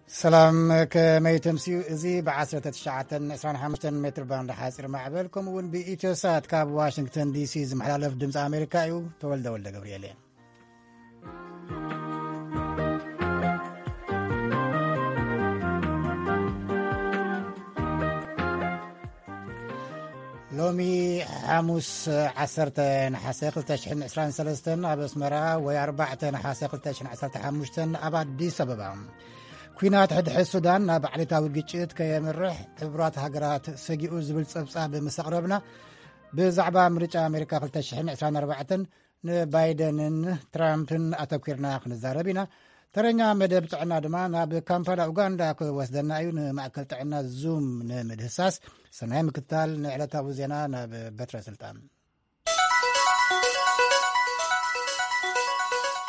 ሰላም፣ ከመይ ተምስዩ? እዚ ብ19 25 ሜትር ባንድ ሓፂር ማዕበል፣ ከምኡ እውን ብኢትዮሳት ካብ ዋሽንግተን ዲሲ ዝመሓላለፍ ድምፂ ኣሜሪካ እዩ። ተወልደ ወልደ ገብርኤል እየ። ሎሚ ሓሙስ 10 ነሓሰ 2023 ኣብ ኣስመራ፣ ወይ 4 ነሓሰ 2015 ኣብ ኣዲስ ኣበባ፣ ኲናት ሕድሕድ ሱዳን ናብ ዓሌታዊ ግጭት ከየምርሕ ሕቡራት ሃገራት ሰጊኡ ዝብል ጸብጻብ ምስ ኣቕረብና፣ ብዛዕባ ምርጫ ኣሜሪካ 2024 ንባይደንን ትራምፕን ኣተኲርና ክንዛረብ ኢና። ተረኛ መደብ ጥዕና ድማ ናብ ካምፓላ ኡጋንዳ ክወስደና እዩ። ንማእከል ጥዕና ዙም ንምድህሳስ ሰናይ ምክትታል። ንዕለታዊ ዜና ናብ በትረ ስልጣን።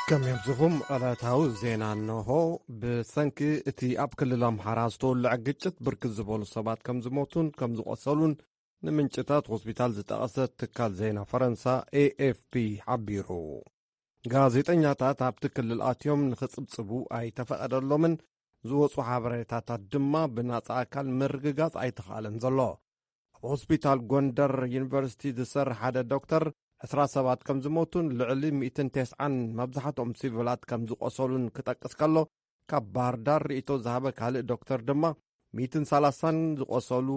ከመይ ኣምሲኹም? ዕለታዊ ዜና እንሆ። ብሰንኪ እቲ ኣብ ክልል ኣምሓራ ዝተወልዐ ግጭት ብርክት ዝበሉ ሰባት ከም ዝሞቱን ከም ዝቖሰሉን ንምንጭታት ሆስፒታል ዝጠቐሰ ትካል ዜና ፈረንሳ ኤኤፍፒ ሓቢሩ። ጋዜጠኛታት ኣብቲ ክልል ኣትዮም ንኽጽብጽቡ ኣይተፈቐደሎምን፣ ዝወጹ ሓበሬታታት ድማ ብናጻ ኣካል ምርግጋጽ ኣይተኻእለን ዘሎ። ኣብ ሆስፒታል ጎንደር ዩኒቨርሲቲ ዝሰርሕ ሓደ ዶክተር 20 ሰባት ከም ዝሞቱን ልዕሊ 190 መብዛሕትኦም ሲቪላት ከም ዝቖሰሉን ክጠቅስ ከሎ፣ ካብ ባህር ዳር ርእይቶ ዝሃበ ካልእ ዶክተር ድማ 130ን ዝቖሰሉ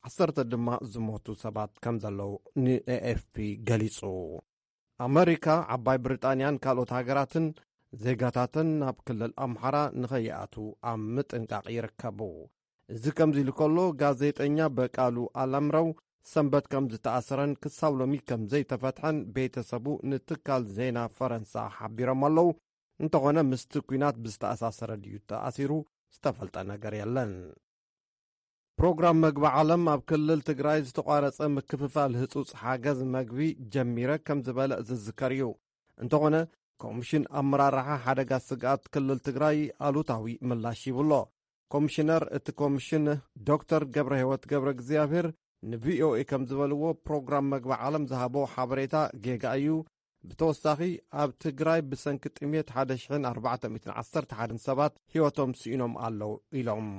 10 ድማ ዝሞቱ ሰባት ከም ዘለዉ ንኤኤፍፒ ገሊጹ። ኣመሪካ፣ ዓባይ ብሪጣንያን ካልኦት ሃገራትን ዜጋታተን ናብ ክልል ኣምሓራ ንኸይኣቱ ኣብ ምጥንቃቕ ይርከቡ። እዚ ከምዚ ኢሉ ከሎ፣ ጋዜጠኛ በቃሉ ኣላምረው ሰንበት ከም ዝተኣሰረን ክሳብ ሎሚ ከም ዘይተፈትሐን ቤተሰቡ ንትካል ዜና ፈረንሳ ሓቢሮም ኣለዉ። እንተኾነ፣ ምስቲ ኲናት ብዝተኣሳሰረ ድዩ ተኣሲሩ ዝተፈልጠ ነገር የለን። ፕሮግራም መግቢ ዓለም ኣብ ክልል ትግራይ ዝተቋረጸ ምክፍፋል ህጹጽ ሓገዝ መግቢ ጀሚረ ከም ዝበለ ዝዝከር እዩ። እንተኾነ፣ ኮሚሽን ኣመራርሓ ሓደጋ ስግኣት ክልል ትግራይ ኣሉታዊ ምላሽ ይብሎ። ኮሚሽነር እቲ ኮሚሽን ዶክተር ገብረ ህይወት ገብረ እግዚኣብሔር ንቪኦኤ ከም ዝበልዎ፣ ፕሮግራም መግቢ ዓለም ዝሃቦ ሓበሬታ ጌጋ እዩ። ብተወሳኺ፣ ኣብ ትግራይ ብሰንኪ ጥሜት 1,411 ሰባት ህይወቶም ስኢኖም ኣለዉ ኢሎም።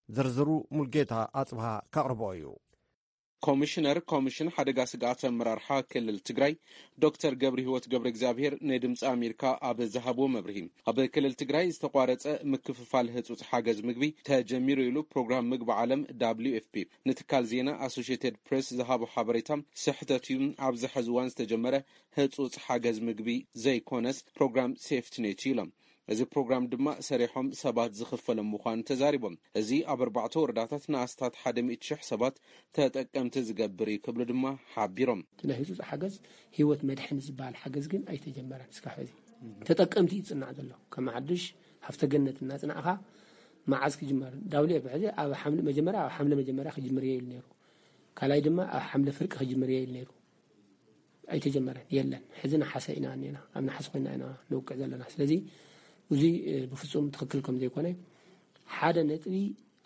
ዝርዝሩ ሙልጌታ ኣጽብሃ ከቕርቦ እዩ። ኮሚሽነር ኮሚሽን ሓደጋ ስግኣት ኣመራርሓ ክልል ትግራይ ዶክተር ገብረ ህይወት ገብረ እግዚኣብሔር ንድምፂ ኣሜሪካ ኣብ ዝሃብዎ መብርሂ፣ ኣብ ክልል ትግራይ ዝተቋረፀ ምክፍፋል ህፁፅ ሓገዝ ምግቢ ተጀሚሩ ኢሉ። ፕሮግራም ምግቢ ዓለም፣ ደብሊው ኤፍ ፒ፣ ንትካል ዜና ኣሶሽየትድ ፕሬስ ዝሃቦ ሓበሬታ ስሕተት እዩ። ኣብዚ ሕዚ እዋን ዝተጀመረ ህፁፅ ሓገዝ ምግቢ ዘይኮነስ፣ ፕሮግራም ሴፍትኔት እዩ ኢሎም። እዚ ፕሮግራም ድማ ሰሪሖም ሰባት ዝኽፈሎም ምዃኑ ተዛሪቦም። እዚ ኣብ ኣርባዕተ ወረዳታት ንኣስታት ሓደ ሚእቲ ሽሕ ሰባት ተጠቀምቲ ዝገብር እዩ ክብሉ ድማ ሓቢሮም። እቲ ናይ ህፁፅ ሓገዝ፣ ህይወት መድሕን ዝበሃል ሓገዝ ግን ኣይተጀመረን እስካብ ሕዚ። ተጠቀምቲ እዩ ዝፅናዕ ዘሎ። ከም ሓዱሽ ሃፍተ ገነት እናፅናዕኻ መዓዝ ክጅመር? ደብሊው ኤፍ ፒ ሕዚ ኣብ ሓምለ መጀመርያ፣ ኣብ ሓምለ መጀመርያ ክጅምር እየ ኢሉ ነይሩ። ካልኣይ ድማ ኣብ ሓምለ ፍርቂ ክጅምር እየ ኢሉ ነይሩ። ኣይተጀመረን፣ የለን። ሕዚ ነሓሰ ኢና እኒና፣ ኣብ ነሓሰ ኮይና ኢና ንውቅዕ ዘለና። ስለዚ እዚ፣ እ፣ ብፍጹም ትኽክል ከም ዘይኮነ፣ ሓደ ነጥቢ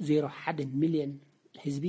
ዜሮ ሓደ ሚልዮን ህዝቢ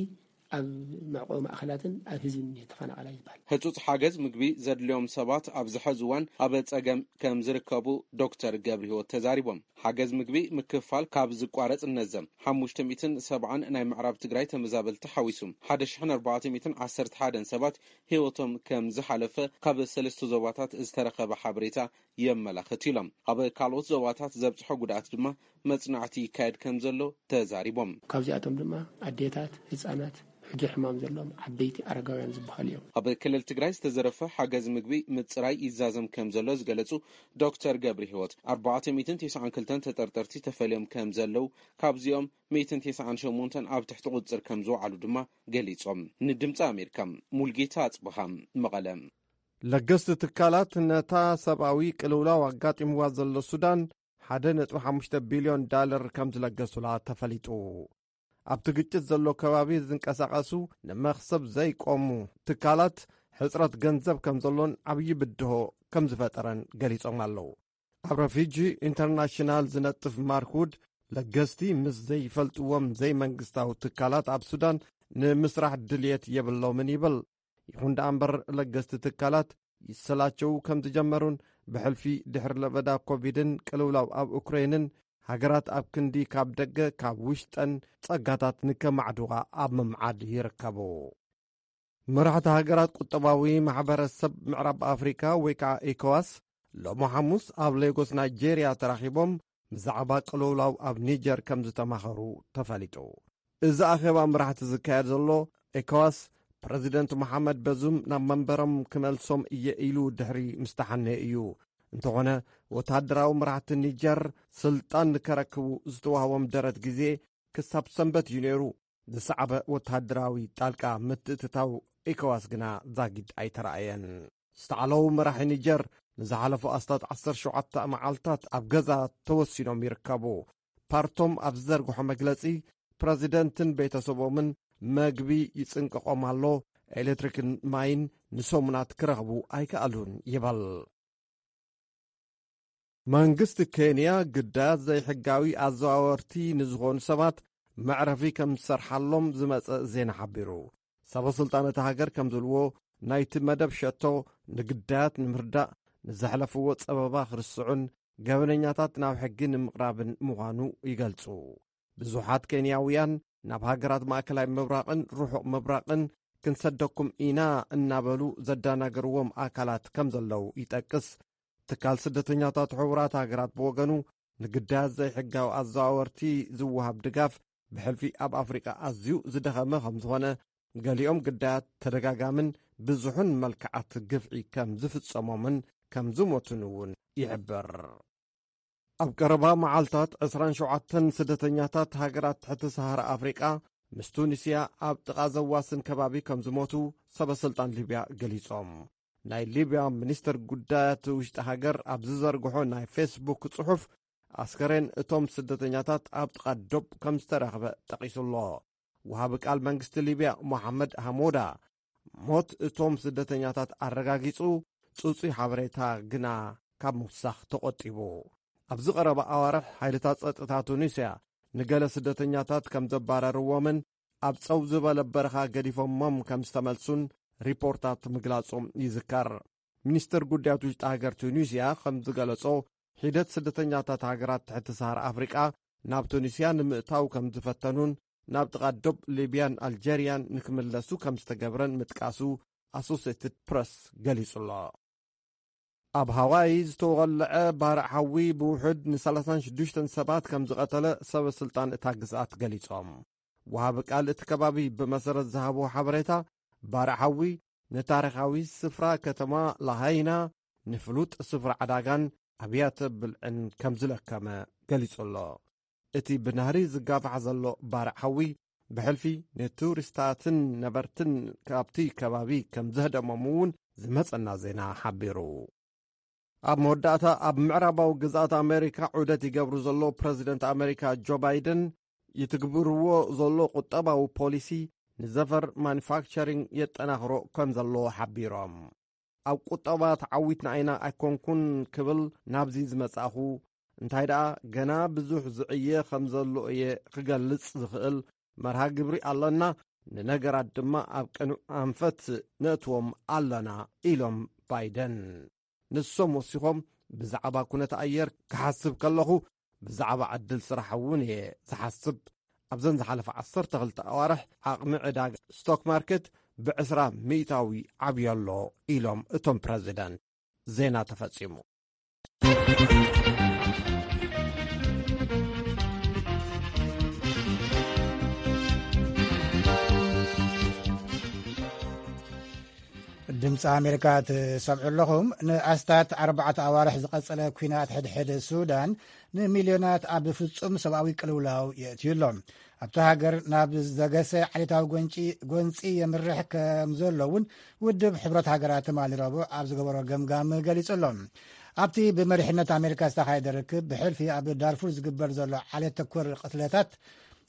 ኣብ መዕቆቢ ማእኸላትን ኣብ ህዝብን እዩ ተፈናቓላይ ዝበሃል። ህጹጽ ሓገዝ ምግቢ ዘድልዮም ሰባት ኣብዚ ሕዚ እዋን ኣብ ጸገም ከም ዝርከቡ ዶክተር ገብረ ህይወት ተዛሪቦም። ሓገዝ ምግቢ ምክፋል ካብ ዝቋረጽ እነዘም ሓሙሽተ ሚእትን ሰብዓን ናይ ምዕራብ ትግራይ ተመዛበልቲ ሓዊሱ፣ ሓደ ሽሕን ኣርባዕተ ሚእትን ዓሰርተ ሓደን ሰባት ህይወቶም ከም ዝሓለፈ ካብ ሰለስተ ዞባታት ዝተረኸበ ሓበሬታ የመላኽት ኢሎም። ኣብ ካልኦት ዞባታት ዘብጽሖ ጉድኣት ድማ መጽናዕቲ ይካየድ ከም ዘሎ ተዛሪቦም። ካብዚኣቶም ድማ ኣዴታት፣ ህጻናት፣ ሕዱር ሕማም ዘለዎም፣ ዓበይቲ፣ ኣረጋውያን ዝበሃሉ እዮም። ኣብ ክልል ትግራይ ዝተዘረፈ ሓገዝ ምግቢ ምጽራይ ይዛዘም ከም ዘሎ ዝገለጹ ዶክተር ገብረ ህይወት፣ ኣርባዕተ ሚእትን ተስዓን ክልተን ተጠርጠርቲ ተፈልዮም ከም ዘለዉ፣ ካብዚኦም ሚእትን ተስዓን ሸሞንተን ኣብ ትሕቲ ቁጽጽር ከም ዝወዓሉ ድማ ገሊጾም። ንድምፂ ኣሜሪካ፣ ሙልጌታ ኣጽብሃ፣ መቐለ። ለገስቲ ትካላት ነታ ሰብኣዊ ቅልውላው ኣጋጢምዋ ዘሎ ሱዳን ሓደ ነጥቢ ሓሙሽተ ቢልዮን ዳለር ከም ዝለገሱላ ተፈሊጡ። ኣብቲ ግጭት ዘሎ ከባቢ ዝንቀሳቐሱ ንመኽሰብ ዘይቆሙ ትካላት ሕጽረት ገንዘብ ከም ዘሎን ዓብዪ ብድሆ ከም ዝፈጠረን ገሊጾም ኣለዉ። ኣብ ረፊጂ ኢንተርናሽናል ዝነጥፍ ማርክ ውድ፣ ለገስቲ ምስ ዘይፈልጥዎም ዘይመንግስታዊ ትካላት ኣብ ሱዳን ንምስራሕ ድልየት የብሎምን ይብል። ይኹን ደኣ እምበር፣ ለገስቲ ትካላት ይሰላቸው ከም ዝጀመሩን ብሕልፊ ድሕሪ ለበዳ ኮቪድን ቅልውላው ኣብ ኡክረይንን ሃገራት ኣብ ክንዲ ካብ ደገ ካብ ውሽጠን ጸጋታት ንከማዕድዋ ኣብ ምምዓድ ይርከቡ። መራሕቲ ሃገራት ቁጠባዊ ማሕበረሰብ ምዕራብ ኣፍሪካ ወይ ከዓ ኤኮዋስ ሎሚ ሓሙስ ኣብ ሌጎስ ናይጄርያ ተራኺቦም ብዛዕባ ቅልውላው ኣብ ኒጀር ከም ዝተማኸሩ ተፈሊጡ። እዚ ኣኼባ መራሕቲ ዝካየድ ዘሎ ኤኮዋስ ፕረዚደንት መሓመድ በዙም ናብ መንበሮም ክመልሶም እየ ኢሉ ድሕሪ ምስተሓነ እዩ። እንተኾነ ወታደራዊ መራሕቲ ኒጀር ስልጣን ንከረክቡ ዝተዋህቦም ደረት ግዜ ክሳብ ሰንበት እዩ ነይሩ። ዝሰዓበ ወተሃደራዊ ጣልቃ ምትእትታው ኤኮዋስ ግና ዛጊድ ኣይተረኣየን። ዝተዓለዉ መራሒ ኒጀር ንዝሓለፉ ኣስታት ዓሰርተ ሸውዓተ መዓልታት ኣብ ገዛ ተወሲኖም ይርከቡ። ፓርቶም ኣብ ዝዘርግሖ መግለጺ ፕረዚደንትን ቤተሰቦምን መግቢ ይጽንቀቖም ኣሎ፣ ኤሌክትሪክን ማይን ንሰሙናት ክረኽቡ ኣይከኣሉን ይበል። መንግስቲ ኬንያ ግዳያት ዘይሕጋዊ ኣዘዋወርቲ ንዝኾኑ ሰባት መዕረፊ ከም ዝሰርሓሎም ዝመጸ ዜና ሓቢሩ። ሰበ ስልጣን እታ ሃገር ከም ዝብልዎ ናይቲ መደብ ሸቶ ንግዳያት ንምርዳእ፣ ንዘሕለፍዎ ጸበባ ክርስዑን ገበነኛታት ናብ ሕጊ ንምቕራብን ምዃኑ ይገልጹ። ብዙሓት ኬንያውያን ናብ ሃገራት ማእከላይ ምብራቕን ርሑቕ ምብራቕን ክንሰደኩም ኢና እናበሉ ዘዳናገርዎም ኣካላት ከም ዘለዉ ይጠቅስ። ትካል ስደተኛታት ሕቡራት ሃገራት ብወገኑ ንግዳያት ዘይሕጋዊ ኣዘዋወርቲ ዝወሃብ ድጋፍ ብሕልፊ ኣብ ኣፍሪቃ ኣዝዩ ዝደኸመ ከም ዝኾነ፣ ገሊኦም ግዳያት ተደጋጋምን ብዙሕን መልክዓት ግፍዒ ከም ዝፍጸሞምን ከም ዝሞቱን እውን ይሕብር። ኣብ ቀረባ መዓልታት ዕስራን ሸውዓተን ስደተኛታት ሃገራት ትሕቲ ሰሃራ ኣፍሪቃ ምስ ቱኒስያ ኣብ ጥቓ ዘዋስን ከባቢ ከም ዝሞቱ ሰበ ስልጣን ሊብያ ገሊጾም። ናይ ሊብያ ሚኒስትር ጉዳያት ውሽጢ ሃገር ኣብ ዝዘርግሖ ናይ ፌስቡክ ጽሑፍ፣ ኣስከሬን እቶም ስደተኛታት ኣብ ጥቓ ዶብ ከም ዝተረኽበ ጠቒሱ ኣሎ። ወሃቢ ቃል መንግስቲ ሊብያ ሞሓመድ ሃሞዳ ሞት እቶም ስደተኛታት ኣረጋጊጹ፣ ጽጹይ ሓበሬታ ግና ካብ ምውሳኽ ተቖጢቡ። ኣብዚ ቀረባ ኣዋርሕ ሓይልታት ጸጥታ ቱኒስያ ንገለ ስደተኛታት ከም ዘባረርዎምን ኣብ ጸው ዝበለ በረኻ ገዲፎሞም ከም ዝተመልሱን ሪፖርታት ምግላጾም ይዝከር። ሚኒስትር ጉዳያት ውሽጢ ሃገር ቱኒስያ ከም ዝገለጾ፣ ሒደት ስደተኛታት ሃገራት ትሕቲ ሰሃራ ኣፍሪቃ ናብ ቱኒስያ ንምእታው ከም ዝፈተኑን ናብ ጥቓ ዶብ ሊብያን ኣልጀርያን ንክምለሱ ከም ዝተገብረን ምጥቃሱ ኣሶሴትድ ፕረስ ገሊጹ ኣሎ። ኣብ ሃዋይ ዝተወለዐ ባርዕ ሓዊ ብውሑድ ን ሰላሳን ሽዱሽተን ሰባት ከም ዝቐተለ ሰበ ስልጣን እታ ግዝኣት ገሊጾም። ወሃቢ ቃል እቲ ከባቢ ብመሰረት ዝሃብዎ ሓበሬታ፣ ባርዕ ሓዊ ንታሪኻዊ ስፍራ ከተማ ላሃይና፣ ንፍሉጥ ስፍራ ዕዳጋን ኣብያተ ብልዕን ከም ዝለከመ ገሊጹ ኣሎ። እቲ ብናህሪ ዝጋፋሕ ዘሎ ባርዕ ሓዊ ብሕልፊ ንቱሪስታትን ነበርትን ካብቲ ከባቢ ከም ዘህደሞም እውን ዝመጸና ዜና ሓቢሩ። ኣብ መወዳእታ፣ ኣብ ምዕራባዊ ግዝኣት ኣሜሪካ ዑደት ይገብሩ ዘሎ ፕረዚደንት ኣሜሪካ ጆ ባይደን ይትግብርዎ ዘሎ ቁጠባዊ ፖሊሲ ንዘፈር ማኑፋክቸሪንግ የጠናኽሮ ከም ዘለዎ ሓቢሮም። ኣብ ቁጠባ ተዓዊትና ኢና ኣይኮንኩን ክብል ናብዚ ዝመጻእኹ፣ እንታይ ደኣ ገና ብዙሕ ዝዕየ ከም ዘሎ እየ ክገልጽ ዝኽእል። መርሃ ግብሪ ኣለና፣ ንነገራት ድማ ኣብ ቅኑዕ ኣንፈት ነእትዎም ኣለና ኢሎም ባይደን። ንሶም ወሲኾም፣ ብዛዕባ ኩነት ኣየር ክሓስብ ከለኹ ብዛዕባ ዕድል ስራሕ እውን እየ ዝሓስብ። ኣብዘን ዝሓለፈ ዓሰርተ ክልተ ኣዋርሕ ዓቕሚ ዕዳጋ ስቶክ ማርኬት ብዕስራ ሚእታዊ ዓብዩ ኣሎ ኢሎም እቶም ፕረዚደንት። ዜና ተፈጺሙ። ድምፂ ኣሜሪካ ትሰምዑ ኣለኹም። ንኣስታት ኣርባዕተ ኣዋርሕ ዝቐጸለ ኲናት ሕድሕድ ሱዳን ንሚልዮናት ኣብ ፍጹም ሰብኣዊ ቅልውላው የእትዩ ኣሎ። ኣብታ ሃገር ናብ ዘገሰ ዓሌታዊ ጎንጪ ጎንጺ የምርሕ ከም ዘሎ እውን ውድብ ሕብረት ሃገራት ትማሊ ረቡዕ ኣብ ዝገበሮ ገምጋም ገሊጹ ኣሎ። ኣብቲ ብመሪሕነት ኣሜሪካ ዝተኻየደ ርክብ ብሕልፊ ኣብ ዳርፉር ዝግበር ዘሎ ዓሌት ተኮር ቅትለታት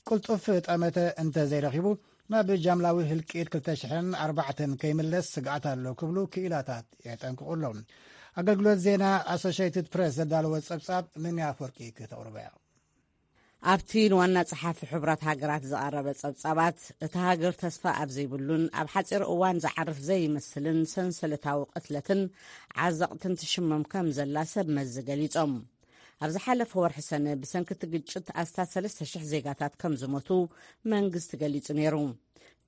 ቅልጡፍ ጠመተ እንተ ዘይረኺቡ ናብ ጃምላዊ ህልቂት ክልተ ሽሕን ኣርባዕተን ከይምለስ ስግኣት ኣሎ ክብሉ ክኢላታት የጠንቅቑ ኣለዉ። ኣገልግሎት ዜና ኣሶሽየትድ ፕሬስ ዘዳለወ ጸብጻብ ምን ኣፈወርቂ ክተቕርበያ። ኣብቲ ንዋና ጸሓፊ ሕቡራት ሃገራት ዝቐረበ ጸብጻባት፣ እታ ሃገር ተስፋ ኣብ ዘይብሉን ኣብ ሓጺር እዋን ዝዓርፍ ዘይመስልን ሰንሰለታዊ ቅትለትን ዓዘቕትን ትሽመም ከም ዘላ ሰብ መዚ ገሊጾም። ኣብ ዝሓለፈ ወርሒ ሰነ ብሰንኪ እቲ ግጭት ኣስታት ሰለስተ ሽሕ ዜጋታት ከም ዝሞቱ መንግስቲ ገሊጹ ነይሩ።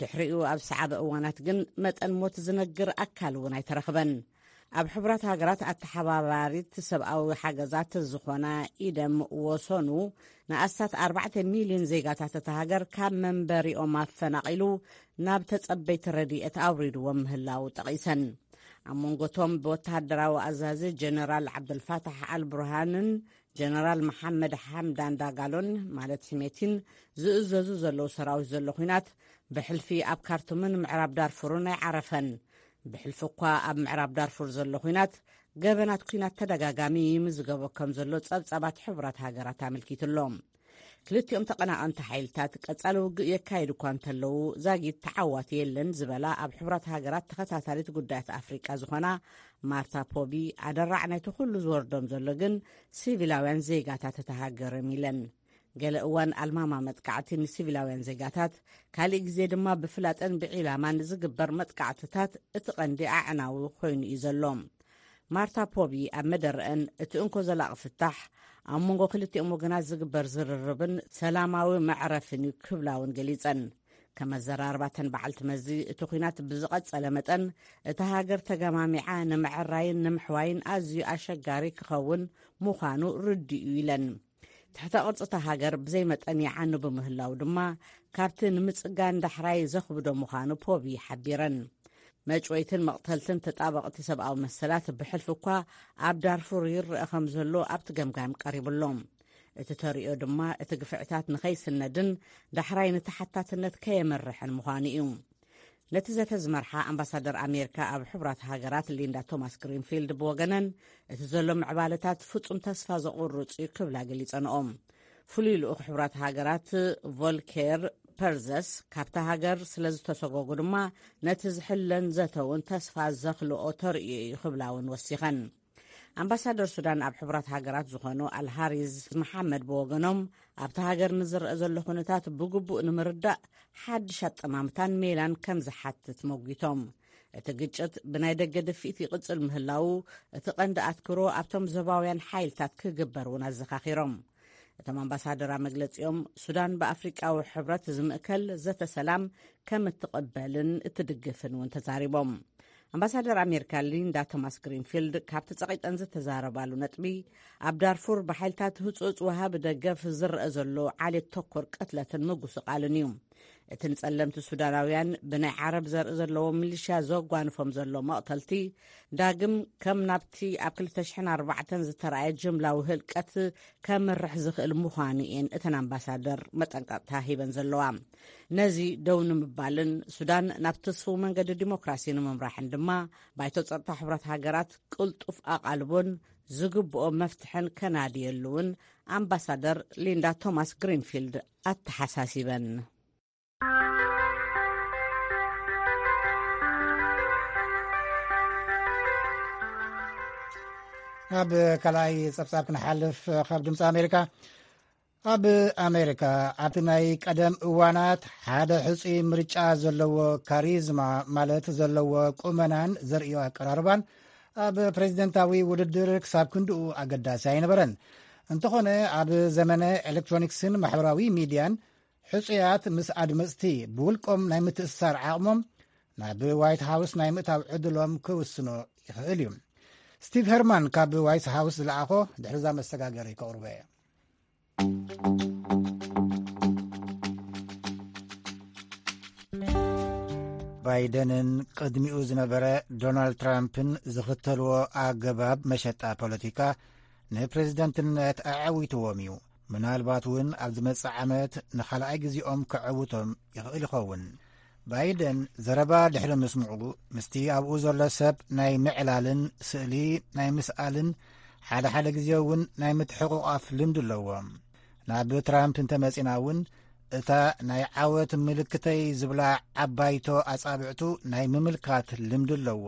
ድሕሪኡ ኣብ ሰዓበ እዋናት ግን መጠን ሞት ዝነግር ኣካል እውን ኣይተረኽበን። ኣብ ሕቡራት ሃገራት ኣተሓባባሪት ሰብኣዊ ሓገዛት ዝኾና ኢደም ወሰኑ ንኣስታት ኣርባዕተ ሚልዮን ዜጋታት እታ ሃገር ካብ መንበሪኦም ኣፈናቒሉ ናብ ተጸበይቲ ረድኤት ኣውሪድዎም ምህላው ጠቒሰን። ኣብ መንጎቶም ብወተሃደራዊ ኣዛዚ ጀነራል ዓብደልፋታሕ ኣልብርሃንን ጀነራል መሓመድ ሓምዳን ዳጋሎን ማለት ሕሜቲን ዝእዘዙ ዘለዉ ሰራዊት ዘሎ ኲናት ብሕልፊ ኣብ ካርቱምን ምዕራብ ዳርፉርን ኣይዓረፈን። ብሕልፊ እኳ ኣብ ምዕራብ ዳርፉር ዘሎ ኲናት ገበናት ኲናት ተደጋጋሚ ይምዝገቦ ከም ዘሎ ጸብጻባት ሕቡራት ሃገራት ኣመልኪቱ ኣሎ። ክልቲኦም ተቐናቐንቲ ሓይልታት ቀጻሊ ውግእ የካይዱ እኳ እንተለዉ ዛጊት ተዓዋቲ የለን ዝበላ ኣብ ሕቡራት ሃገራት ተኸታታሊት ጉዳያት ኣፍሪቃ ዝኾና ማርታ ፖቢ ኣደራዕ ናይቲ ኩሉ ዝወርዶም ዘሎ ግን ሲቪላውያን ዜጋታት እታ ሃገር እዮም ኢለን። ገለ እዋን ኣልማማ መጥቃዕቲ ንሲቪላውያን ዜጋታት፣ ካሊእ ግዜ ድማ ብፍላጠን ብዒላማን ዝግበር መጥቃዕትታት እቲ ቀንዲ ኣዕናዊ ኮይኑ እዩ ዘሎ። ማርታ ፖቢ ኣብ መደረአን እቲ እንኮ ዘላቒ ፍታሕ ኣብ መንጎ ክልቲኦም ወገናት ዝግበር ዝርርብን ሰላማዊ መዕረፍን እዩ ክብላ እውን ገሊጸን። ከም ኣዘራርባተን በዓልቲ መዚ እቲ ኲናት ብዝቐጸለ መጠን እታ ሃገር ተገማሚዓ ንምዕራይን ንምሕዋይን ኣዝዩ ኣሸጋሪ ክኸውን ምዃኑ ርድእ እዩ ኢለን። ትሕተ ቅርጺ እታ ሃገር ብዘይ መጠን ይዓኑ ብምህላው ድማ ካብቲ ንምጽጋን ዳሕራይ ዘኽብዶ ምዃኑ ፖቢ ሓቢረን። መጭወይትን መቕተልትን ተጣበቕቲ ሰብኣዊ መሰላት ብሕልፊ እኳ ኣብ ዳርፉር ይረአ ከም ዘሎ ኣብቲ ገምጋም ቀሪቡ ኣሎ። እቲ ተርእዮ ድማ እቲ ግፍዕታት ንኸይስነድን ዳሕራይ ንተሓታትነት ከየመርሕን ምዃኑ እዩ። ነቲ ዘተ ዝመርሓ ኣምባሳደር ኣሜሪካ ኣብ ሕቡራት ሃገራት ሊንዳ ቶማስ ግሪንፊልድ ብወገነን እቲ ዘሎ ምዕባለታት ፍጹም ተስፋ ዘቑርጽ እዩ ክብላ ገሊጸንኦም። ፍሉይ ልኡኽ ሕቡራት ሃገራት ቮልኬር ፐርዘስ ካብታ ሃገር ስለ ዝተሰጎጉ ድማ ነቲ ዝሕለን ዘተውን ተስፋ ዘኽልኦ ተርእዮ እዩ ክብላ እውን ወሲኸን። ኣምባሳደር ሱዳን ኣብ ሕቡራት ሃገራት ዝኾኑ ኣልሃሪዝ መሓመድ ብወገኖም ኣብታ ሃገር ንዝረአ ዘሎ ኩነታት ብግቡእ ንምርዳእ ሓድሽ ኣጠማምታን ሜላን ከም ዝሓትት መጒቶም። እቲ ግጭት ብናይ ደገ ድፍኢት ይቕጽል ምህላዉ እቲ ቀንዲ ኣትክሮ ኣብቶም ዞባውያን ሓይልታት ክግበር እውን ኣዘኻኺሮም። እቶም ኣምባሳደር ኣብ መግለጺኦም ሱዳን ብኣፍሪቃዊ ሕብረት ዝምእከል ዘተ ሰላም ከም እትቕበልን እትድግፍን እውን ተዛሪቦም። ኣምባሳደር ኣሜሪካ ሊንዳ ቶማስ ግሪንፊልድ ካብቲ ጸቒጠን ዝተዛረባሉ ነጥቢ ኣብ ዳርፉር ብሓይልታት ህጹጽ ወሃቢ ደገፍ ዝረአ ዘሎ ዓሌት ተኮር ቅትለትን ምጉስቓልን እዩ። እቲ ንጸለምቲ ሱዳናውያን ብናይ ዓረብ ዘርኢ ዘለዎ ሚሊሽያ ዘጓንፎም ዘሎ መቕተልቲ ዳግም ከም ናብቲ ኣብ ክልተ ሽሕን ኣርባዕተን ዝተረኣየ ጅምላዊ ህልቀት ከምርሕ ዝኽእል ምዃኑ እየን እተን ኣምባሳደር መጠንቀቕታ ሂበን ዘለዋ። ነዚ ደው ንምባልን ሱዳን ናብ ተስፉው መንገዲ ዲሞክራሲ ንምምራሕን ድማ ባይቶ ጸጥታ ሕብረት ሃገራት ቅልጡፍ ኣቓልቦን ዝግብኦ መፍትሕን ከናድየሉ እውን ኣምባሳደር ሊንዳ ቶማስ ግሪንፊልድ ኣተሓሳሲበን። ናብ ካልኣይ ጸብጻብ ክንሓልፍ፣ ካብ ድምፂ ኣሜሪካ። ኣብ ኣሜሪካ ኣብቲ ናይ ቀደም እዋናት ሓደ ሕጹይ ምርጫ ዘለዎ ካሪዝማ፣ ማለት ዘለዎ ቁመናን ዘርእዮ ኣቀራርባን ኣብ ፕሬዚደንታዊ ውድድር ክሳብ ክንድኡ ኣገዳሲ ኣይነበረን። እንተኾነ ኣብ ዘመነ ኤሌክትሮኒክስን ማሕበራዊ ሚድያን ሕጹያት ምስ ኣድመጽቲ ብውልቆም ናይ ምትእስሳር ዓቕሞም ናብ ዋይት ሃውስ ናይ ምእታው ዕድሎም ክውስኖ ይኽእል እዩ። ስቲቭ ሄርማን ካብ ዋይት ሃውስ ዝለኣኾ ድሕርዛ መሰጋገሪ ከቕርቦ እየ። ባይደንን ቅድሚኡ ዝነበረ ዶናልድ ትራምፕን ዝኽተልዎ ኣገባብ መሸጣ ፖለቲካ ንፕሬዝደንትነት ኣዐዊትዎም እዩ። ምናልባት እውን ኣብ ዝመጽእ ዓመት ንኻልኣይ ግዜኦም ከዐውቶም ይኽእል ይኸውን። ባይደን ዘረባ ድሕሪ ምስምዑ፣ ምስቲ ኣብኡ ዘሎ ሰብ ናይ ምዕላልን ስእሊ ናይ ምስኣልን ሓደ ሓደ ግዜ እውን ናይ ምትሕቑቓፍ ልምዲ ኣለዎ። ናብ ትራምፕ እንተመጺና እውን፣ እታ ናይ ዓወት ምልክተይ ዝብላ ዓባይቶ ኣጻብዕቱ ናይ ምምልካት ልምዲ ኣለዎ።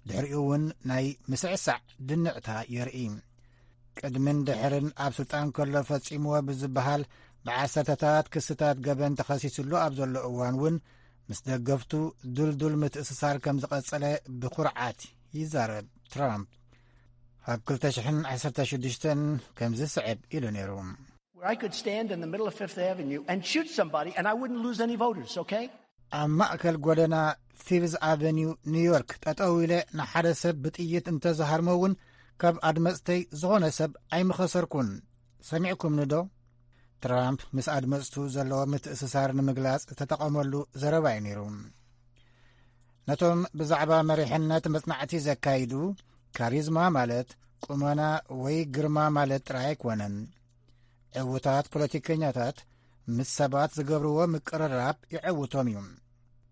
ድሕሪኡ እውን ናይ ምስዕሳዕ ድንዕታ የርኢ። ቅድምን ድሕርን ኣብ ስልጣን ከሎ ፈጺምዎ ብዝበሃል ብዓሰርተታት ክስታት ገበን ተኸሲስሉ ኣብ ዘሎ እዋን እውን፣ ምስ ደገፍቱ ድልዱል ምትእስሳር ከም ዝቐጸለ ብኹርዓት ይዛረብ ትራምፕ። ኣብ ክልተ ሽሕን ዓሰርተ ሽዱሽተን ከምዚ ስዕብ ኢሉ ነይሩ። Where I could stand in the middle of Fifth Avenue and shoot somebody and I wouldn't lose any voters, okay? ኣብ ማእከል ጎደና ፊፍዝ ኣቨኒው ኒውዮርክ ጠጠው ኢለ ንሓደ ሰብ ብጥይት እንተዝሃርሞ እውን ካብ ኣድመፅተይ ዝኾነ ሰብ ኣይምኸሰርኩን። ሰሚዕኩምኒ ዶ? ትራምፕ ምስ ኣድመፅቱ ዘለዎ ምትእስሳር ንምግላፅ ዝተጠቐመሉ ዘረባ እዩ ነይሩ። ነቶም ብዛዕባ መሪሕነት መጽናዕቲ ዘካይዱ፣ ካሪዝማ ማለት ቁመና ወይ ግርማ ማለት ጥራይ ኣይኮነን። ዕዉታት ፖለቲከኛታት ምስ ሰባት ዝገብርዎ ምቅርራብ ይዕውቶም እዩ።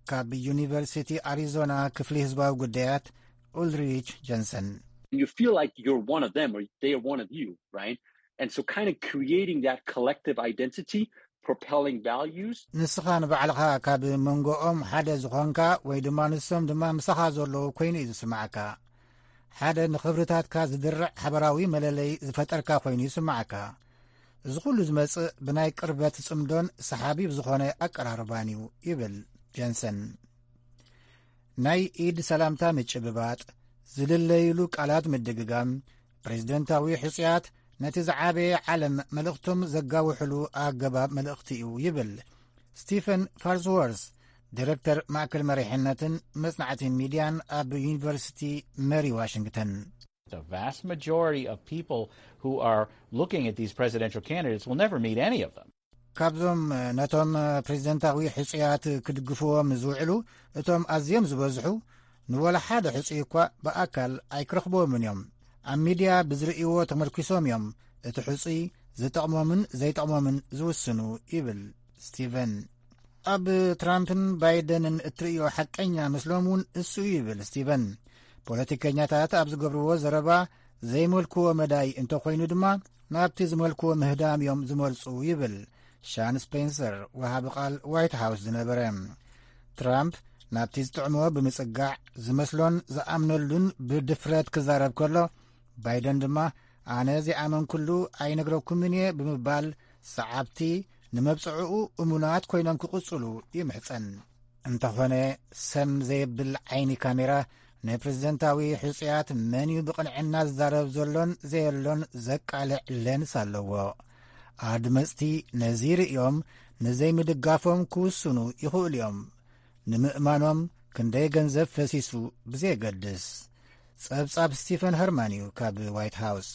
ካብ ዩኒቨርሲቲ ኣሪዞና ክፍሊ ህዝባዊ ጉዳያት ኡልሪች ጀንሰን። You feel like you're one of them or they're one of you, right? And so kind of creating that collective identity, propelling values. ንስኻ ንባዕልኻ ካብ መንጎኦም ሓደ ዝኾንካ ወይ ድማ ንሶም ድማ ምሳኻ ዘለዉ ኮይኑ እዩ ዝስማዓካ። ሓደ ንኽብርታትካ ዝድርዕ ሓበራዊ መለለይ ዝፈጠርካ ኮይኑ ይስማዓካ። እዚ ኩሉ ዝመጽእ ብናይ ቅርበት ጽምዶን ሰሓቢ ብዝኾነ ኣቀራርባን እዩ ይብል ጀንሰን። ናይ ኢድ ሰላምታ ምጭብባጥ፣ ዝልለይሉ ቃላት ምድግጋም፣ ፕሬዝደንታዊ ሕጹያት ነቲ ዝዓበየ ዓለም መልእኽቶም ዘጋውሕሉ ኣገባብ መልእኽቲ እዩ ይብል ስቲፈን ፋርስወርስ፣ ዲረክተር ማእከል መሪሕነትን መጽናዕትን ሚድያን ኣብ ዩኒቨርሲቲ መሪ ዋሽንግተን። The vast majority of people who are looking at these presidential candidates will never meet any of them. ካብዞም ነቶም ፕሬዝደንታዊ ሕጹያት ክድግፍዎም ዝውዕሉ እቶም ኣዝዮም ዝበዝሑ ንወላ ሓደ ሕጹይ እኳ ብኣካል ኣይክረኽብዎምን እዮም። ኣብ ሚድያ ብዝርእይዎ ተመርኪሶም እዮም እቲ ሕጹይ ዝጠቕሞምን ዘይጠቕሞምን ዝውስኑ ይብል ስቲቨን። ኣብ ትራምፕን ባይደንን እትርእዮ ሓቀኛ ምስሎም እውን እሱ እዩ ይብል ስቲቨን። ፖለቲከኛታት ኣብ ዝገብርዎ ዘረባ ዘይመልክዎ መዳይ እንተኾይኑ ድማ ናብቲ ዝመልክዎ ምህዳም እዮም ዝመርጹ ይብል ሻን ስፔንሰር፣ ወሃቢ ቃል ዋይት ሃውስ ዝነበረ። ትራምፕ ናብቲ ዝጥዕሞ ብምጽጋዕ ዝመስሎን ዝኣምነሉን ብድፍረት ክዛረብ ከሎ፣ ባይደን ድማ ኣነ ዘይኣመንኩሉ ኣይነግረኩምን እየ ብምባል ሰዓብቲ ንመብጽዕኡ እሙናት ኮይኖም ክቕጽሉ ይምሕጸን። እንተኾነ ሰም ዘየብል ዓይኒ ካሜራ ንፕሬዝደንታዊ ሕጹያት መን እዩ ብቕንዕና ዝዛረብ ዘሎን ዘየሎን ዘቃልዕ ሌንስ ኣለዎ። ኣድመጽቲ ነዚ ርእዮም ንዘይምድጋፎም ክውስኑ ይኽእሉ እዮም። ንምእማኖም ክንደይ ገንዘብ ፈሲሱ ብዘየገድስ። ጸብጻብ ስቲፈን ኸርማን እዩ ካብ ዋይት ሃውስ።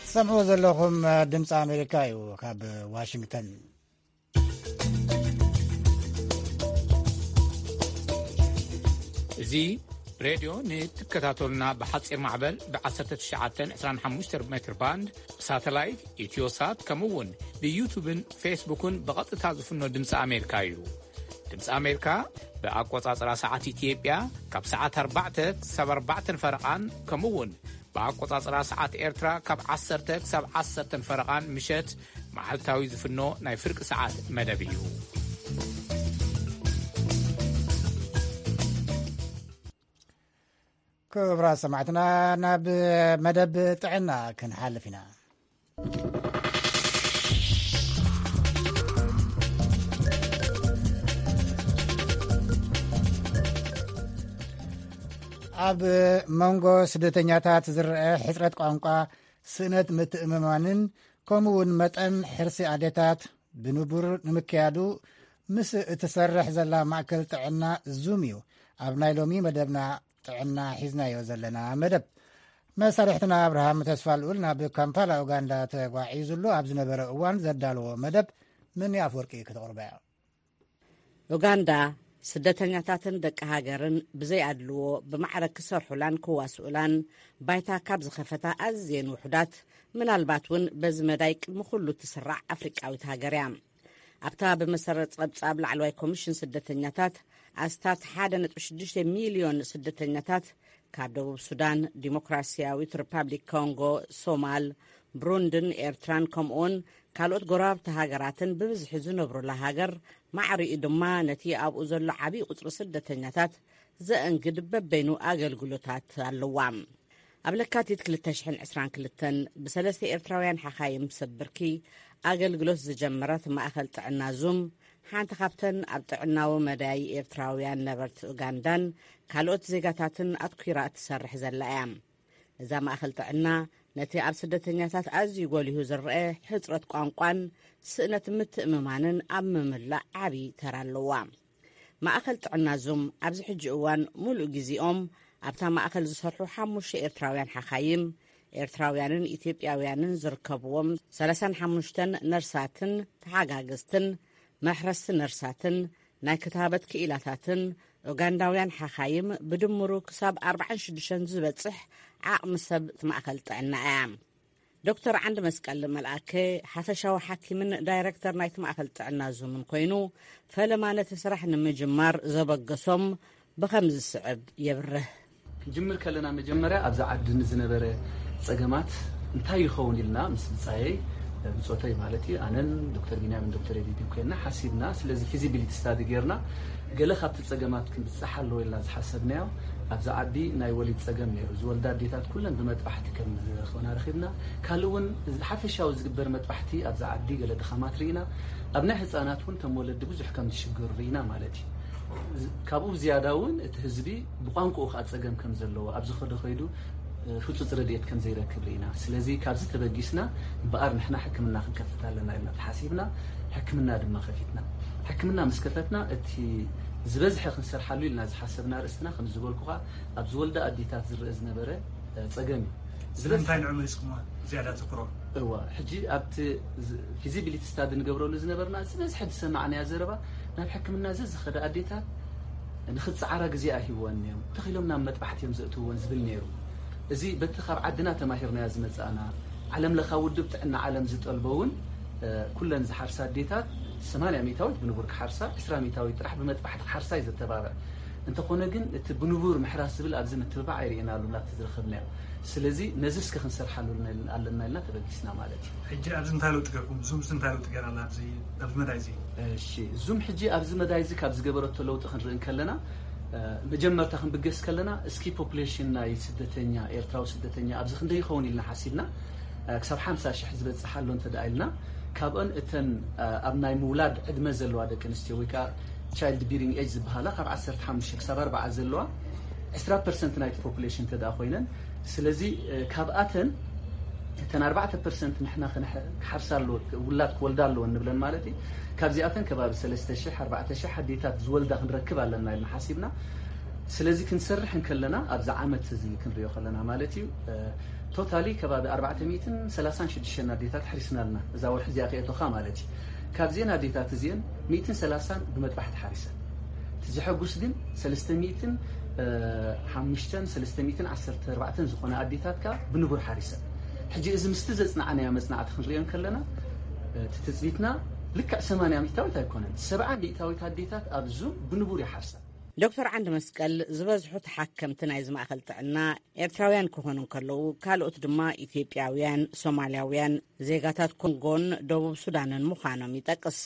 ትሰምዕዎ ዘለኹም ድምፂ ኣሜሪካ እዩ ካብ ዋሽንግተን። እዚ ሬድዮ ንትከታተሉና ብሓፂር ማዕበል ብ19 25 ሜትር ባንድ ብሳተላይት ኢትዮሳት ከምኡ እውን ብዩቱብን ፌስቡክን ብቐጥታ ዝፍኖ ድምፂ ኣሜሪካ እዩ። ድምፂ ኣሜሪካ ብኣቆፃፅራ ሰዓት ኢትዮጵያ ካብ ሰዓት ኣርባዕተ ክሳብ ኣርባዕተን ፈረቓን ከምኡ እውን ብኣቆፃፅራ ሰዓት ኤርትራ ካብ ዓሰርተ ክሳብ ዓሰርተን ፈረቓን ምሸት መዓልታዊ ዝፍኖ ናይ ፍርቂ ሰዓት መደብ እዩ። ክቡራት ሰማዕትና፣ ናብ መደብ ጥዕና ክንሓልፍ ኢና። ኣብ መንጎ ስደተኛታት ዝረአ ሕጽረት ቋንቋ፣ ስእነት ምትእምማንን ከምኡ እውን መጠን ሕርሲ ኣዴታት ብንቡር ንምክያዱ ምስ እትሰርሕ ዘላ ማእከል ጥዕና ዙም እዩ ኣብ ናይ ሎሚ መደብና ጥዕና ሒዝናዮ ዘለና መደብ። መሳርሕትና ኣብርሃም ተስፋ ልኡል ናብ ካምፓላ ኡጋንዳ ተጓዒዙሉ ኣብ ዝነበረ እዋን ዘዳለዎ መደብ ምን ኣፍወርቂ ክተቕርበያ። ኡጋንዳ ስደተኛታትን ደቂ ሃገርን ብዘይ ኣድልዎ ብማዕረ ክሰርሑላን ክዋስኡላን ባይታ ካብ ዝኸፈታ ኣዝየን ውሑዳት፣ ምናልባት እውን በዚ መዳይ ቅድሚ ኩሉ ትስራዕ ኣፍሪቃዊት ሃገር እያ። ኣብታ ብመሰረት ጸብጻብ ላዕለዋይ ኮሚሽን ስደተኛታት ኣስታት ሓደ ነጥቢ ሽዱሽተ ሚልዮን ስደተኛታት ካብ ደቡብ ሱዳን፣ ዲሞክራሲያዊት ሪፓብሊክ ኮንጎ፣ ሶማል፣ ብሩንድን ኤርትራን ከምኡውን ካልኦት ጎረባብቲ ሃገራትን ብብዝሒ ዝነብሩላ ሃገር ማዕሪኡ ድማ ነቲ ኣብኡ ዘሎ ዓብዪ ቁጽሪ ስደተኛታት ዘእንግድ በበይኑ ኣገልግሎታት ኣለዋ። ኣብ ለካቲት ክልተ ሽሕን ዕስራን ክልተን ብሰለስተ ኤርትራውያን ሓኻይም ሰብ ብርኪ ኣገልግሎት ዝጀመረት ማእኸል ጥዕና ዙም ሓንቲ ካብተን ኣብ ጥዕናዊ መዳይ ኤርትራውያን ነበርቲ ኡጋንዳን ካልኦት ዜጋታትን ኣትኲራ እትሰርሕ ዘላ እያ። እዛ ማእከል ጥዕና ነቲ ኣብ ስደተኛታት ኣዝዩ ጎሊሁ ዝረአ ሕጽረት ቋንቋን ስእነት ምትእምማንን ኣብ ምምላእ ዓቢ ተራ ኣለዋ። ማእከል ጥዕና ዙም ኣብዚ ሕጂ እዋን ሙሉእ ግዜኦም ኣብታ ማእከል ዝሰርሑ ሓሙሽተ ኤርትራውያን ሓኻይም፣ ኤርትራውያንን ኢትዮጵያውያንን ዝርከብዎም ሰላሳን ሓሙሽተን ነርሳትን ተሓጋገዝትን፣ መሕረስቲ ነርሳትን ናይ ክታበት ክኢላታትን ኡጋንዳውያን ሓኻይም ብድምሩ ክሳብ ኣርባዓን ሽዱሽተን ዝበጽሕ ዓቕሚ ሰብ እቲ ማእከል ጥዕና እያ። ዶክተር ዓንዲ መስቀል መልኣከ ሓፈሻዊ ሓኪምን ዳይረክተር ናይቲ ማእከል ጥዕና ዙምን ኮይኑ፣ ፈለማ ነቲ ስራሕ ንምጅማር ዘበገሶም ብኸም ዝስዕብ የብርህ። ክንጅምር ከለና መጀመርያ ኣብዛ ዓዲ ንዝነበረ ጸገማት እንታይ ይኸውን ኢልና ምስ ብጻየይ፣ ብጾተይ ማለት እዩ፣ ኣነን ዶክተር ቢንያምን ዶክተር ኤዲዲን ኮይንና ሓሲብና። ስለዚ ፊዚቢሊቲ ስታዲ ጌርና ገለ ካብቲ ጸገማት ክንብጻሕ ኣለዎ ኢልና ዝሓሰብናዮ፣ ኣብዛ ዓዲ ናይ ወሊድ ጸገም ነይሩ። ዝወልዳ ኣዴታት ኩለን ብመጥባሕቲ ከም ዝኾና ረኺብና። ካልእ እውን ሓፈሻዊ ዝግበር መጥባሕቲ ኣብዛ ዓዲ ገለ ድኻማት ርኢና። ኣብ ናይ ህጻናት እውን ከም ወለዲ ብዙሕ ከም ዝሽገሩ ርኢና ማለት እዩ። ዝ-፣ ካብኡ ብዝያዳ እውን እቲ ህዝቢ ብቋንቋኡ ከዓ ጸገም ከም ዘለዎ፣ ኣብ ዝኸዶ ከይዱ፣ እ፣ ህጹጽ ረድኤት ከም ዘይረክብ ርኢና። ስለዚ ካብዚ ተበጊስና እምበኣር ንሕና ሕክምና ክንከፍት ኣለና ኢልና ተሓሲብና፣ ሕክምና ድማ ከፊትና። ሕክምና ምስ ከፈትና እቲ ዝበዝሐ ክንሰርሓሉ ኢልና ዝሓሰብና ርእስትና ከም ዝበልኩኻ ኣብ ዝወልዳ ኣዴታት ዝረአ ዝነበረ፣ እ፣ ጸገም እዩ። ስለዚ እንታይ ንዑ መሊስኩማ ዝያዳ ትኩሮ? እዋ፣ ሕጂ ኣብቲ ዝ-፣ ፊዚቢሊቲ ስታዲ ንገብረሉ ዝነበርና ዝበዝሐ ዝሰማዕናያ ዘረባ ናብ ሕክምና ዘዝኸዳ ኣዴታት ንኽጸዓራ ግዜ ኣይሂብወን እዮም፣ ተኺሎም ናብ መጥባሕቲ እዮም ዘእትውወን ዝብል ነይሩ። እዚ በቲ ካብ ዓድና ተማሂርናዮ ዝመጻእና ዓለም ለኻዊ ውድብ ጥዕና ዓለም ዝጠልቦ እውን፣ እ፣ ኩለን ዝሓርሳ ኣዴታት ሰማንያ ሚእታዊት ብንቡር ክሓርሳ፣ ዕስራ ሚእታዊት ጥራሕ ብመጥባሕቲ ክሓርሳ እዩ ዘተባብዕ። እንተኾነ ግን እቲ ብንቡር ምሕራስ ዝብል ኣብዚ ምትብባዕ ኣይርኤናሉን ኣብቲ ዝረኸብናዮ። ስለዚ ነዚ እስከ ክንሰርሓሉ ኣለና ኢልና ተበጊስና ማለት እዩ። ሕጂ ኣብዚ እንታይ ለውጢ ገርኩም? ዙምስ እንታይ ለውጢ ገይራ ኣላ ኣብዚ፣ ኣብዚ መዳይ እዚ? እሺ፣ ዙም ሕጂ ኣብዚ መዳይ እዚ ካብ ዝገበረቶ ለውጢ ክንርኢ እንከለና፣ እ፣ መጀመርታ ክንብገስ ከለና እስኪ ፖፑሌሽን ናይ ስደተኛ፣ ኤርትራዊ ስደተኛ ኣብዚ ክንደይ ይኸውን ኢልና ሓሲብና። እ፣ ክሳብ ሓምሳ ሽሕ ዝበጽሕ ኣሎ እንተ ደኣ ኢልና፣ ካብአን እተን፣ እ፣ ኣብ ናይ ምውላድ ዕድመ ዘለዋ ደቂ ኣንስትዮ ወይ ከዓ ቻይልድ ቢሪንግ ኤጅ ዝበሃላ ካብ ዓሰርተ ሓሙሽተ ክሳብ ኣርባዓ ዘለዋ ዕስራ ፐርሰንት ናይቲ ፖፑሌሽን እንተ ደኣ ኮይነን፣ ስለዚ፣ እ፣ ካብኣተን እተን ኣርባዕተ ፐርሰንት ንሕና ክንሕ-፣ ክሓርሳ ኣለዎ፣ ውላድ ክወልዳ ኣለዎ እንብለን ማለት እዩ። ካብዚኣተን ከባቢ ሰለስተ ሽሕ ኣርባዕተ ሽሕ ኣዴታት ዝወልዳ ክንረክብ ኣለና ኢልና ሓሲብና። ስለዚ ክንሰርሕ እንከለና፣ ኣብዚ ዓመት እዚ ክንሪኦ ከለና ማለት እዩ፣ እ፣ ቶታሊ ከባቢ ኣርባዕተ ሚእትን ሰላሳን ሽዱሽተን ኣዴታት ሓሪስና ኣለና፣ እዛ ወርሒ እዚኣ ከእቶኻ ማለት እዩ። ካብዚአን ኣዴታት እዚአን ሚእትን ሰላሳን ብመጥባሕቲ ሓሪሰን። እቲ ዘሐጉስ ግን ሰለስተ ሚእትን ሓሙሽተን፣ ሰለስተ ሚእትን ዓሰርተ ኣርባዕተን ዝኾና ኣዴታት ከኣ ብንቡር ሓሪሰን። ሕጂ እዚ ምስቲ ዘጽናዕናዮ መጽናዕቲ ክንሪኦ እንከለና፣ እቲ ትጽቢትና ልክዕ ሰማንያ ሚእታዊት ኣይኮነን፣ ሰብዓ ሚእታዊት ኣዴታት ኣብ ዙም ብንቡር ይሓርሳ። ዶክተር ዓንዲ መስቀል፣ ዝበዝሑ ተሓከምቲ ናይዚ ማእከል ጥዕና ኤርትራውያን ክኾኑ እንከለዉ፣ ካልኦት ድማ ኢትዮጵያውያን፣ ሶማልያውያን፣ ዜጋታት ኮንጎን ደቡብ ሱዳንን ምዃኖም ይጠቅስ።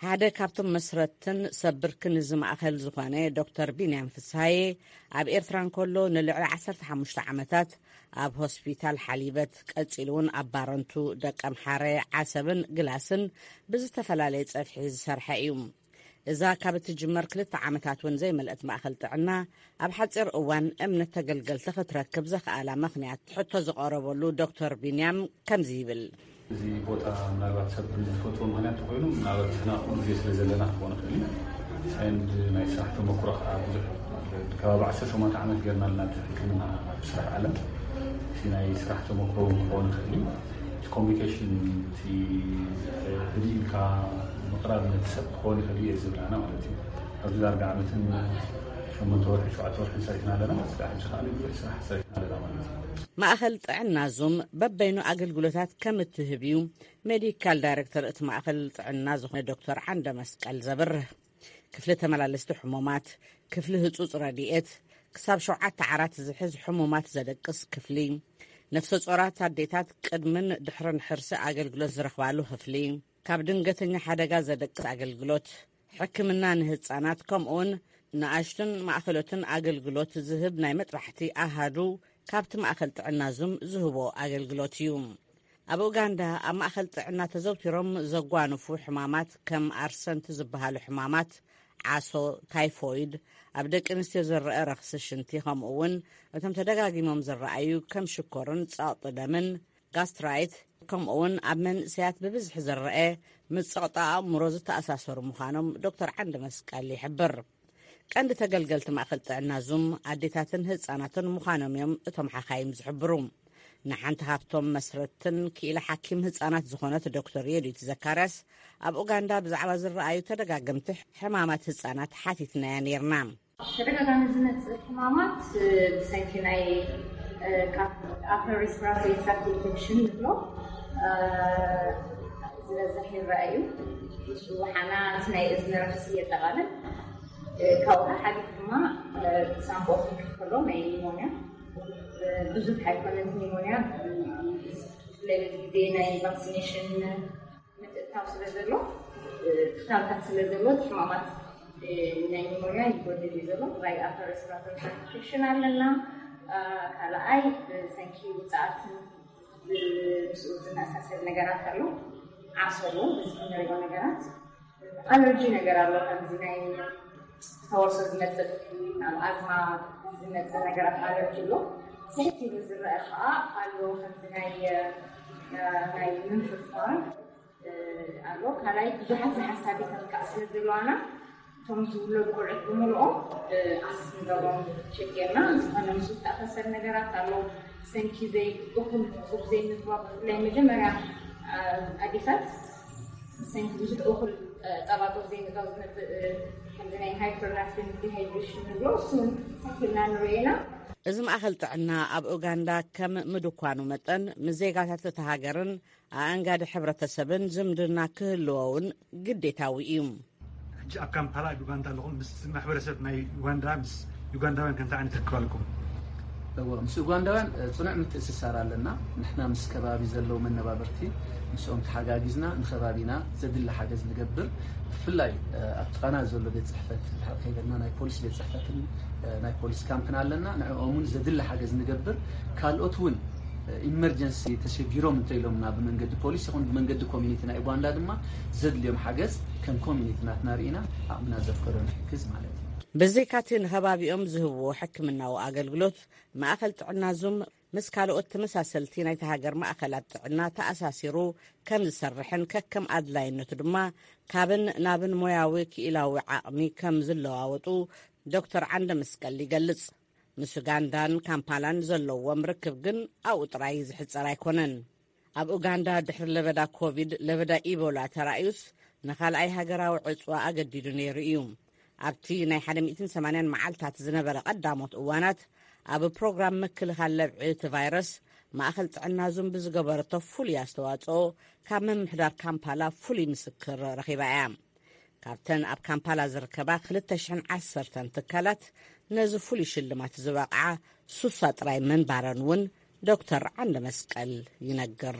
ሓደ ካብቶም መስረትን ሰብ ብርክን እዚ ማእከል ዝኾነ ዶክተር ቢንያም ፍስሃየ፣ ኣብ ኤርትራ እንከሎ ንልዕሊ ዓሰርተ ሓሙሽተ ዓመታት ኣብ ሆስፒታል ሓሊበት፣ ቀጺሉ እውን ኣብ ባረንቱ፣ ደቀምሓረ፣ ዓሰብን ግላስን ብዝተፈላለየ ጸፍሒ ዝሰርሐ እዩ። እዛ ካብ እትጅመር ክልተ ዓመታት እውን ዘይመልአት ማእከል ጥዕና፣ ኣብ ሓጺር እዋን እምነት ተገልገልቲ ክትረክብ ዘኽኣላ ምኽንያት ሕቶ ዝቐረበሉ ዶክተር ቢንያም ከምዚ ይብል። እዚ ቦታ ምናልባት ሰብ ዝፈትዎ ምኽንያት ተኾይኑ፣ ምናልባት ንሕና ከምኡ ግዜ ስለ ዘለና ክኾን ይኽእል እዩ። ሰንድ ናይ ስራሕ ተመክሮ ከዓ ብዙሕ፣ ከባቢ ዓሰርተ ሸሞንተ ዓመት ገይርና ኣለና፣ እቲ ሕክምና ኣብ ስራሕ ዓለም። እቲ ናይ ስራሕ ተመክሮ እውን ክኸውን ይኽእል እዩ። እቲ ኮሚኒኬሽን፣ እቲ ህድእ ኢልካ ምቕራብ ነቲ ሰብ ክኸውን ይኽእል እዩ እየ ዝብል ኣነ ማለት እዩ። ኣብዚ ዳርጋ ዓመትን ሸሞንተ ወርሒ፣ ሸውዓተ ወርሒ ሰሪሕና ኣለና። ስራሕ ሕጂ ከዓ ብዙሕ ስራሕ ሰሪሕና ኣለና ማለት እዩ። ማእኸል ጥዕና ዙም በበይኑ ኣገልግሎታት ከም እትህብ እዩ ሜዲካል ዳይሬክተር እቲ ማእኸል ጥዕና ዝኾነ ዶክተር ዓንደ መስቀል ዘብርህ። ክፍሊ ተመላለስቲ ሕሙማት፣ ክፍሊ ህጹጽ ረድኤት፣ ክሳብ ሸውዓተ ዓራት ዝሕዝ ሕሙማት ዘደቅስ ክፍሊ፣ ነፍሰ ጾራት ኣዴታት ቅድምን ድሕርን ሕርሲ ኣገልግሎት ዝረኽባሉ ክፍሊ፣ ካብ ድንገተኛ ሓደጋ ዘደቅስ ኣገልግሎት፣ ሕክምና ንህጻናት፣ ከምኡውን ንኣሽቱን ማእከሎትን ኣገልግሎት ዝህብ ናይ መጥባሕቲ ኣሃዱ ካብቲ ማእከል ጥዕና ዙም ዝህቦ ኣገልግሎት እዩ። ኣብ ኡጋንዳ ኣብ ማእከል ጥዕና ተዘውቲሮም ዘጓንፉ ሕማማት ከም ኣርሰንቲ ዝበሃሉ ሕማማት ዓሶ፣ ታይፎይድ፣ ኣብ ደቂ ኣንስትዮ ዝረአ ረኽሲ ሽንቲ፣ ከምኡ እውን እቶም ተደጋጊሞም ዝረኣዩ ከም ሽኮርን ጸቕጢ ደምን፣ ጋስትራይት፣ ከምኡ እውን ኣብ መንእሰያት ብብዝሒ ዝረአ ምስ ጸቕጢ ኣእምሮ ዝተኣሳሰሩ ምዃኖም ዶክተር ዓንደ መስቀል ይሕብር። ቀንዲ ተገልገልቲ ማእከል ጥዕና ዙም ኣዴታትን ህጻናትን ምዃኖም እዮም እቶም ሓኻይም ዝሕብሩ። ንሓንቲ ካብቶም መስረትን ክኢላ ሓኪም ህጻናት ዝኾነት ዶክተር የዲት ዘካርያስ፣ ኣብ ኡጋንዳ ብዛዕባ ዝረኣዩ ተደጋገምቲ ሕማማት ህጻናት ሓቲትናያ ነይርና። ተደጋጋሚ ዝመጽእ ሕማማት፣ እ፣ ብሰንኪ ናይ፣ እ፣ ካብ ኣፐር ሬስፒራቶሪ ትራክት ኢንፌክሽን ንብሎ፣ እ፣ ዝበዝሕ ይረኣዩ። ምስኡ ሓና እቲ ናይ እዝኒ ረኽሲ የጠቓልል። እ፣ ካብኡ ሓሊፉ ድማ፣ እ፣ ሳምቦ ክፍሎ ናይ ኒሞንያ፣ እ፣ ብዙሕ ኣይኮነን ኒሞንያ፣ እ፣ ብፍላይ በዚ ግዜ ናይ ቫክሲኔሽን ምትእትታው ስለ ዘሎ፣ እ፣ ክታብታት ስለ ዘሎ፣ እቲ ሕማማት፣ እ፣ ናይ ኒሞንያ ይጎድል እዩ ዘሎ። ብፍላይ ኣፐር ሬስፒራቶሪ ትራክት ኢንፌክሽን ኣለና። እ፣ ካልኣይ፣ ብሰንኪ ውፅኣትን ብ-፣ ምስኡ ዝመሳሰል ነገራት ኣሎ። ዓሶ ኣሎ፣ እዚ ንሪኦ ነገራት። ኣለርጂ ነገር ኣሎ፣ ከምዚ ናይ ተወርሶ ዝመጽእ፣ ኣብ ኣዝማ ዝመጽእ ነገራት ኣለርጂ ኣሎ። ስሕት ኢሉ ዝረአ ከዓ ኣሎ፣ ከምዚ ናይ፣ እ፣ ናይ ምንፍፋር፣ እ፣ ኣሎ። ካልኣይ ብዙሓት ዝሓሳቢ ተንካእ ስለ ዘለዋና፣ እቶም ዝውለዱ ቆልዑት ብምልኦም፣ እ፣ ኣሰስ ንገብሮም፣ ቸክ ጌርና። ዝኾነ ምስ ዝተኣሳሰር ነገራት ኣሎ። ሰንኪ ዘይ-፣ እኹል ጡብ ዘይምግባር፣ ብፍላይ መጀመርያ፣ እ፣ ኣዴታት ሰንኪ ብዙሕ እኹል፣ እ፣ ጸባ ጡብ ዘይምግባር ዝመጽእ፣ እ፣ ከምዚ ናይ ሃይፐርናትሪን ዲሃይድሬሽን ንብሎ፣ እሱ እውን ሰንኪ ኢልና ንርእዮ ኢና። እዚ ማእከል ጥዕና ኣብ ኡጋንዳ ከም ምድኳኑ መጠን፣ ምስ ዜጋታት እታ ሃገርን ኣኣንጋዲ ሕብረተሰብን ዝምድና ክህልዎ እውን ግዴታዊ እዩ። ሕጂ ኣብ ካምፓላ ኣብ ዩጋንዳ ኣለኹም። ምስ ማሕበረሰብ ናይ ዩጋንዳ፣ ምስ ዩጋንዳውያን ከምዚ ዓይነት ርክብ ኣለኩም? እወ፣ ምስ ዩጋንዳውያን፣ እ፣ ጽኑዕ ምትእስሳር ኣለና። ንሕና ምስ ከባቢ ዘለዉ መነባብርቲ፣ ምስኦም ተሓጋጊዝና ንከባቢና ዘድሊ ሓገዝ ንገብር። ብፍላይ፣ እ፣ ኣብ ጥቓና ዘሎ ቤት ጽሕፈት ድሓር ከይበልና ናይ ፖሊስ ቤት ጽሕፈትን፣ እ፣ ናይ ፖሊስ ካምፕን ኣለና። ንዕኦም እውን ዘድሊ ሓገዝ ንገብር። ካልኦት እውን ኢመርጀንሲ ተሸጊሮም እንተኢሎምና ብመንገዲ ፖሊስ ይኹን ብመንገዲ ኮሚኒቲ ናይ ኡጋንዳ ድማ ዘድልዮም ሓገዝ ከም ኮሚኒቲ ናትና ርኢና ዓቕምና ዘፍቀዶ ንሕግዝ ማለት እዩ። ብዘይካቲ ንከባቢኦም ዝህብዎ ሕክምናዊ ኣገልግሎት፣ ማእከል ጥዕና ዙም ምስ ካልኦት ተመሳሰልቲ ናይቲ ሃገር ማእከላት ጥዕና ተኣሳሲሩ ከም ዝሰርሕን ከከም ኣድላይነቱ ድማ ካብን ናብን ሞያዊ ክኢላዊ ዓቕሚ ከም ዝለዋወጡ ዶክተር ዓንደ መስቀል ይገልጽ። ምስ ኡጋንዳን ካምፓላን ዘለዎም ርክብ ግን ኣብኡ ጥራይ ዝሕጸር ኣይኮነን። ኣብ ኡጋንዳ ድሕሪ ለበዳ ኮቪድ፣ ለበዳ ኢቦላ ተራእዩስ ንኻልኣይ ሃገራዊ ዕጽዋ ኣገዲዱ ነይሩ እዩ። ኣብቲ ናይ ሓደ ሚእትን ሰማንያን መዓልታት ዝነበረ ቀዳሞት እዋናት፣ ኣብ ፕሮግራም ምክልኻል ለብዒ እቲ ቫይረስ ማእከል ጥዕና ዙም ብዝገበረቶ ፍሉይ ኣስተዋጽኦ ካብ ምምሕዳር ካምፓላ ፍሉይ ምስክር ረኺባ እያ። ካብተን ኣብ ካምፓላ ዝርከባ ክልተ ሽሕን ዓሰርተን ትካላት ነዚ ፍሉይ ሽልማት ዝበቕዓ ሱሳ ጥራይ ምንባረን እውን ዶክተር ዓንደ መስቀል ይነግር።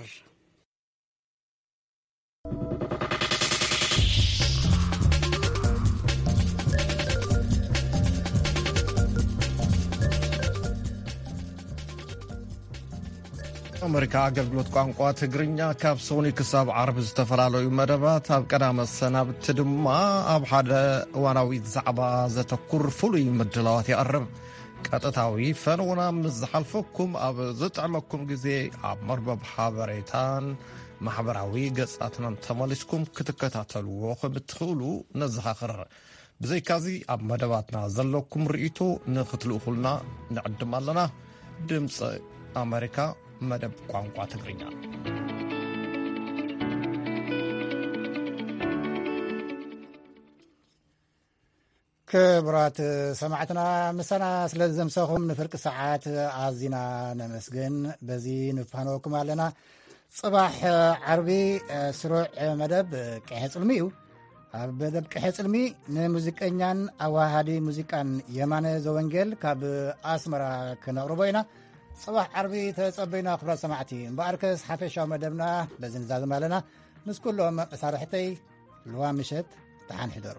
ኣመሪካ ኣገልግሎት ቋንቋ ትግርኛ ካብ ሰኑይ ክሳብ ዓርቢ ዝተፈላለዩ መደባት፣ ኣብ ቀዳመ ሰናብቲ ድማ ኣብ ሓደ እዋናዊ ዛዕባ ዘተኩር ፍሉይ ምድላዋት የቕርብ። ቀጥታዊ ፈነውና ምስ ዝሓልፈኩም፣ ኣብ ዝጥዕመኩም ግዜ ኣብ መርበብ ሓበሬታን ማሕበራዊ ገጻትናን ተመሊስኩም ክትከታተልዎ ከም እትኽእሉ ነዘኻኽር። ብዘይካዚ፣ ኣብ መደባትና ዘለኩም ርእይቶ ንኽትልእኹልና ንዕድም ኣለና። ድምፂ ኣመሪካ፣ መደብ ቋንቋ ትግርኛ። ክቡራት ሰማዕትና፣ ምሳና ስለ ዝዘምሰኹም ንፍርቂ ሰዓት ኣዚና ነመስግን። በዚ ንፋነወኩም ኣለና። ጽባሕ ዓርቢ፣ ስሩዕ መደብ ቅሐ ጽልሚ እዩ። ኣብ መደብ ቅሐ ጽልሚ ንሙዚቀኛን ኣዋሃዲ ሙዚቃን የማነ ዘወንጌል ካብ ኣስመራ ክነቕርቦ ኢና። ጽባሕ ዓርቢ ተጸበዩና ክቡራት ሰማዕቲ። እምበኣርከስ ሓፈሻዊ መደብና በዚ ንዛዝም ኣለና። ምስ ኩሎም መሳርሕተይ ልዋ ምሸት ደሓን ሕደሩ።